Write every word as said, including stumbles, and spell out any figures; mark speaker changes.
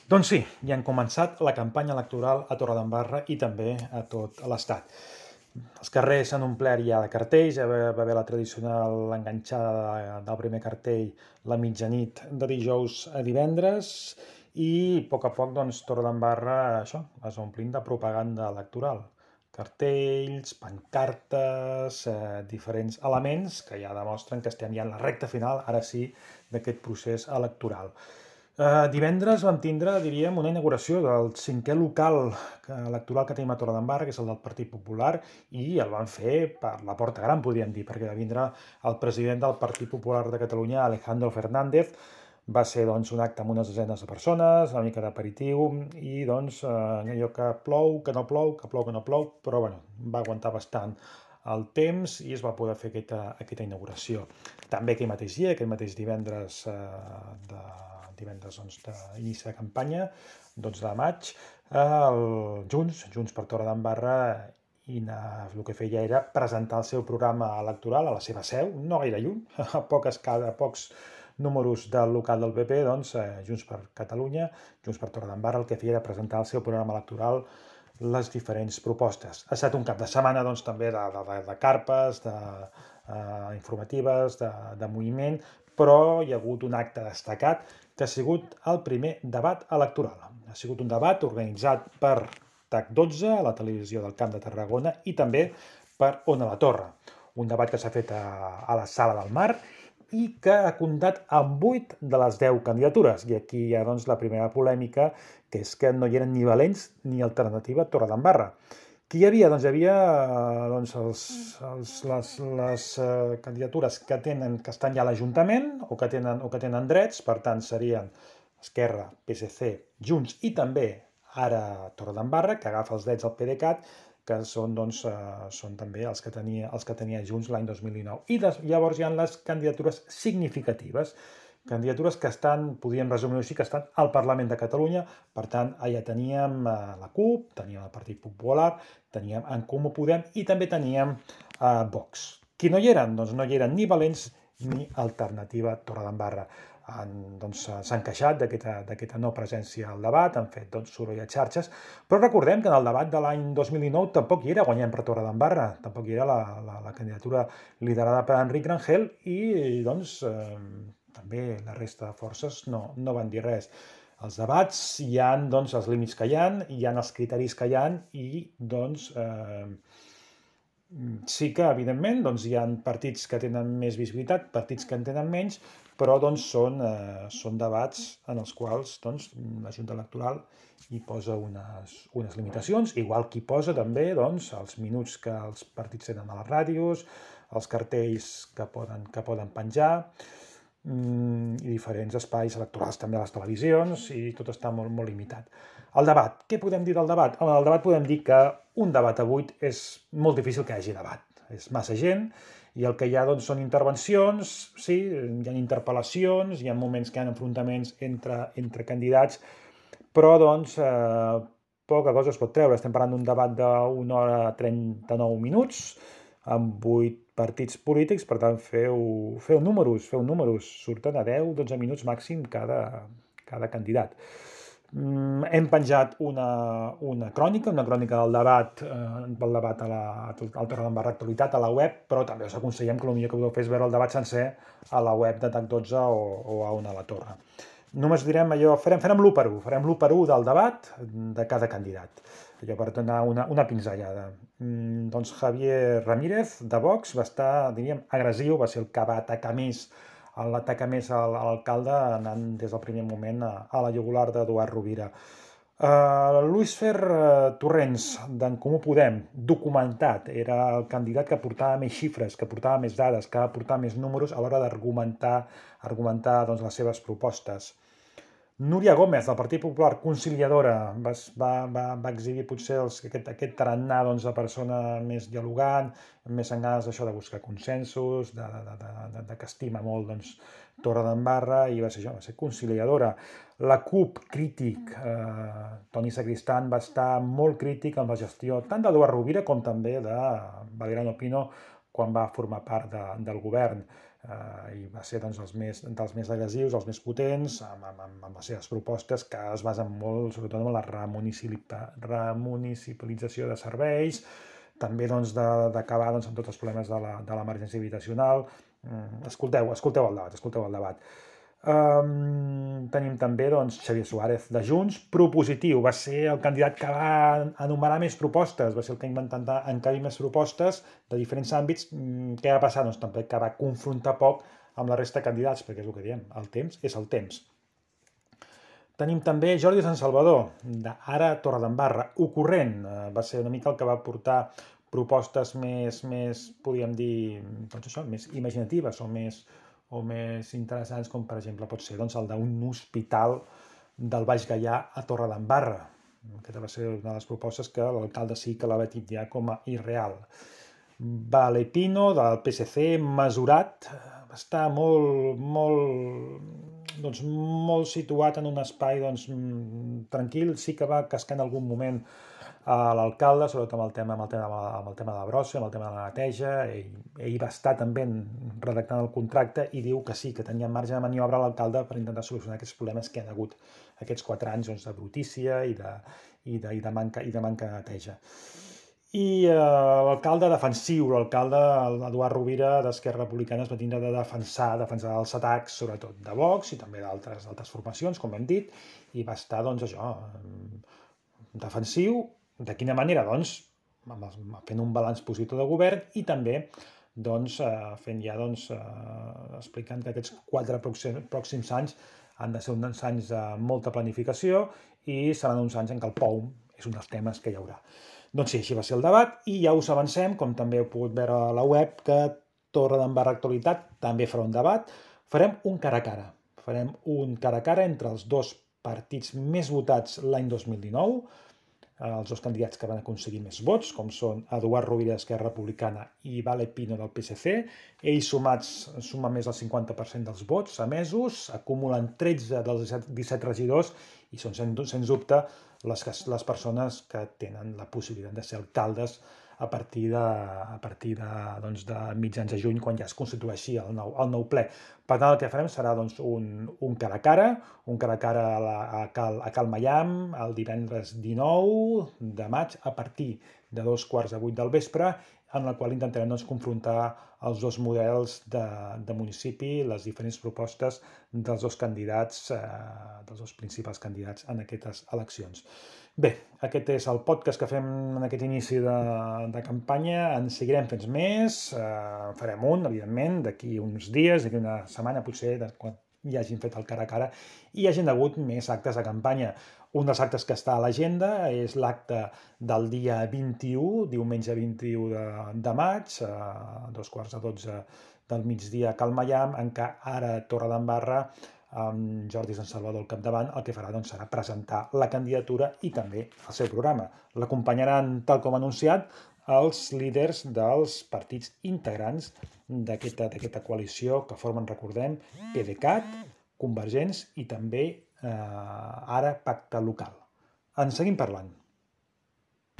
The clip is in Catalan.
Speaker 1: Doncs sí, ja han començat la campanya electoral a Torredembarra i també a tot l'Estat. Els carrers s'han omplert ja de cartells, ja va haver la tradicional enganxada del primer cartell la mitjanit de dijous a divendres i a poc a poc doncs, Torredembarra això, es va omplint de propaganda electoral. Cartells, pancartes, eh, diferents elements que ja demostren que estem ja en la recta final, ara sí, d'aquest procés electoral. Uh, divendres vam tindre, diríem, una inauguració del cinquè local electoral que tenim a Torredembarra, que és el del Partit Popular, i el van fer per la porta gran, podríem dir, perquè va vindre el president del Partit Popular de Catalunya, Alejandro Fernández. Va ser doncs, un acte amb unes desenes de persones, una mica d'aperitiu, i doncs uh, allò que plou, que no plou, que plou, que no plou, però bueno, va aguantar bastant el temps i es va poder fer aquesta, aquesta inauguració. També aquell mateix dia, aquell mateix divendres uh, de divendres doncs, d'inici de campanya, dotze de maig, el Junts, Junts per Torredembarra, i el que feia era presentar el seu programa electoral a la seva seu, no gaire lluny, a poques, a pocs números del local del P P, doncs, eh, Junts per Catalunya, Junts per Torredembarra, el que feia era presentar el seu programa electoral, les diferents propostes. Ha estat un cap de setmana doncs, també de, de, de carpes, de, uh, informatives, de, de moviment, però hi ha hagut un acte destacat que ha sigut el primer debat electoral. Ha sigut un debat organitzat per T A C dotze, a la televisió del Camp de Tarragona, i també per Ona la Torre. Un debat que s'ha fet a, a la Sala del Mar i que ha comptat amb vuit de les deu candidatures. I aquí hi ha doncs, la primera polèmica, que és que no hi eren ni Valents ni Alternativa Torredembarra. Qui hi havia? Doncs hi havia doncs, els, els, les, les uh, candidatures que, tenen, que estan ja a l'Ajuntament o, que tenen, o que tenen drets, per tant serien Esquerra, P S C, Junts i també ara Torredembarra, que agafa els drets al PDeCAT, que són, doncs, uh, són també els que tenia, els que tenia Junts l'any dos mil dinou. I des, llavors hi ha les candidatures significatives, candidatures que estan, podríem resumir-ho així, que estan al Parlament de Catalunya. Per tant, allà teníem eh, la CUP, teníem el Partit Popular, teníem En Comú Podem i també teníem eh, Vox. Qui no hi eren? Doncs no hi eren ni Valents ni Alternativa Torredembarra. Han, doncs, s'han queixat d'aquesta no presència al debat, han fet doncs, soroll a xarxes, però recordem que en el debat de l'any dos mil dinou tampoc hi era Guanyem per Torredembarra, tampoc hi era la, la, la candidatura liderada per Enric Rangel i doncs eh, també la resta de forces no, no van dir res. Els debats hi ha doncs, els límits que hi ha, hi ha els criteris que hi ha i doncs eh, sí que, evidentment, doncs, hi ha partits que tenen més visibilitat, partits que en tenen menys, però doncs, són, eh, són debats en els quals doncs, la Junta Electoral hi posa unes, unes limitacions, igual que hi posa també doncs, els minuts que els partits tenen a les ràdios, els cartells que poden, que poden penjar, i diferents espais electorals també a les televisions, i tot està molt, molt limitat. El debat. Què podem dir del debat? En el debat podem dir que un debat a vuit és molt difícil que hi hagi debat. És massa gent, i el que hi ha doncs, són intervencions, sí, hi ha interpel·lacions, hi ha moments que hi ha enfrontaments entre, entre candidats, però doncs eh, poca cosa es pot treure. Estem parlant d'un debat d'una hora trenta-nou minuts, amb vuit partits polítics, per tant, feu, feu números, feu números, surten a deu dotze minuts màxim cada, cada candidat. Mm, hem penjat una, una crònica, una crònica del debat, eh, del debat a la, al Torredembarra Actualitat, a la web, però també us aconsellem que el millor que podeu fer és veure el debat sencer a la web de T A C dotze o, o a Ona la Torre. Només direm allò, farem, farem l'u per u, farem l'u per u del debat de cada candidat, allò per donar una, una pinzellada. Mm, doncs Javier Ramírez, de Vox, va estar, diríem, agressiu, va ser el que va atacar més, l'atacar més a l'alcalde, anant des del primer moment a, a la jugular d'Eduard Rovira. Uh, Luis Fer uh, Torrents, d'En Comú Podem, documentat, era el candidat que portava més xifres, que portava més dades, que va portar més números a l'hora d'argumentar argumentar doncs, les seves propostes. Núria Gómez, del Partit Popular, conciliadora, va, va, va, va exhibir potser els, aquest, aquest tarannà doncs, de persona més dialogant, més en ganes d'això de buscar consensos, de, de, de, de, de que estima molt doncs, Torredembarra, i va ser això, va ser conciliadora. La CUP, crític, eh, Toni Sacristán va estar molt crític amb la gestió tant d'Eduard Rovira com també de Valeriano Pino quan va formar part de, del govern. eh, i va ser doncs, els més, dels més agressius, els més potents, amb, amb, amb les seves propostes que es basen molt, sobretot en la remunicipalització de serveis, també doncs, d'acabar doncs, amb tots els problemes de l'emergència habitacional. Escolteu, escolteu el debat, escolteu el debat. Um, tenim també doncs, Xavier Suárez de Junts, propositiu, va ser el candidat que va enumerar més propostes, va ser el que va intentar encabir més propostes de diferents àmbits. Què va passar? Doncs també que va confrontar poc amb la resta de candidats, perquè és el que diem, el temps és el temps. Tenim també Jordi Sant Salvador, d'Ara Torredembarra, ocorrent, va ser una mica el que va portar propostes més, més podríem dir, doncs això, més imaginatives o més, o més interessants, com per exemple pot ser doncs, el d'un hospital del Baix Gaià a Torredembarra. Aquesta va ser una de les propostes que l'alcalde sí que la va titllar com a irreal. Vale Pino, del P S C, mesurat, va estar molt, molt, doncs, molt situat en un espai doncs, tranquil, sí que va cascar en algun moment a l'alcalde, sobretot amb el tema, amb el tema, amb el tema de la brossa, amb el tema de la neteja. Ell, ell va estar també redactant el contracte i diu que sí, que tenia marge de maniobra l'alcalde per intentar solucionar aquests problemes que han hagut aquests quatre anys doncs, de brutícia i de, i de, i de, manca, i de manca de neteja. I eh, l'alcalde defensiu, l'alcalde Eduard Rovira d'Esquerra Republicana es va tindre de defensar, defensar els atacs, sobretot de Vox i també d'altres formacions, com hem dit, i va estar, doncs, això, defensiu. De quina manera? Doncs, fent un balanç positiu de govern i també doncs, fent ja, doncs, explicant que aquests quatre pròxims anys han de ser uns anys de molta planificació i seran uns anys en què el P O U és un dels temes que hi haurà. Doncs sí, així va ser el debat i ja us avancem, com també heu pogut veure a la web, que Torredembarra Actualitat també farà un debat. Farem un cara a cara. Farem un cara a cara entre els dos partits més votats l'any dos mil dinou, els dos candidats que van aconseguir més vots, com són Eduard Rovira d'Esquerra Republicana i Vale Pino del P S C. Ells sumats sumen més del cinquanta per cent dels vots emesos, acumulen tretze dels disset regidors i són, sens dubte, les, les persones que tenen la possibilitat de ser alcaldes a partir de, a partir de, doncs, de mitjans de juny, quan ja es constitueixi el nou, el nou ple. Per tant, el que farem serà doncs, un, un cara a cara, un cara a cara a, la, a, Cal, a Cal Maiam el divendres dinou de maig a partir de dos quarts de vuit del vespre, en la qual intentarem doncs, confrontar els dos models de, de municipi, les diferents propostes dels dos candidats, eh, dels dos principals candidats en aquestes eleccions. Bé, aquest és el podcast que fem en aquest inici de, de campanya. En seguirem fent més, eh, farem un, evidentment, d'aquí uns dies, d'aquí una setmana potser, de, quan hi hagin fet el cara a cara, i hi hagin hagut més actes de campanya. Un dels actes que està a l'agenda és l'acte del dia vint-i-u, diumenge vint-i-u de, de maig, a dos quarts de dotze del migdia a Cal Maiam, en què ara Torredembarra, amb Jordi Sant Salvador al capdavant, el que farà doncs, serà presentar la candidatura i també el seu programa. L'acompanyaran, tal com anunciat, els líders dels partits integrants d'aquesta coalició que formen, recordem, PDeCAT, Convergents i també eh, ara Pacte Local. En seguim parlant.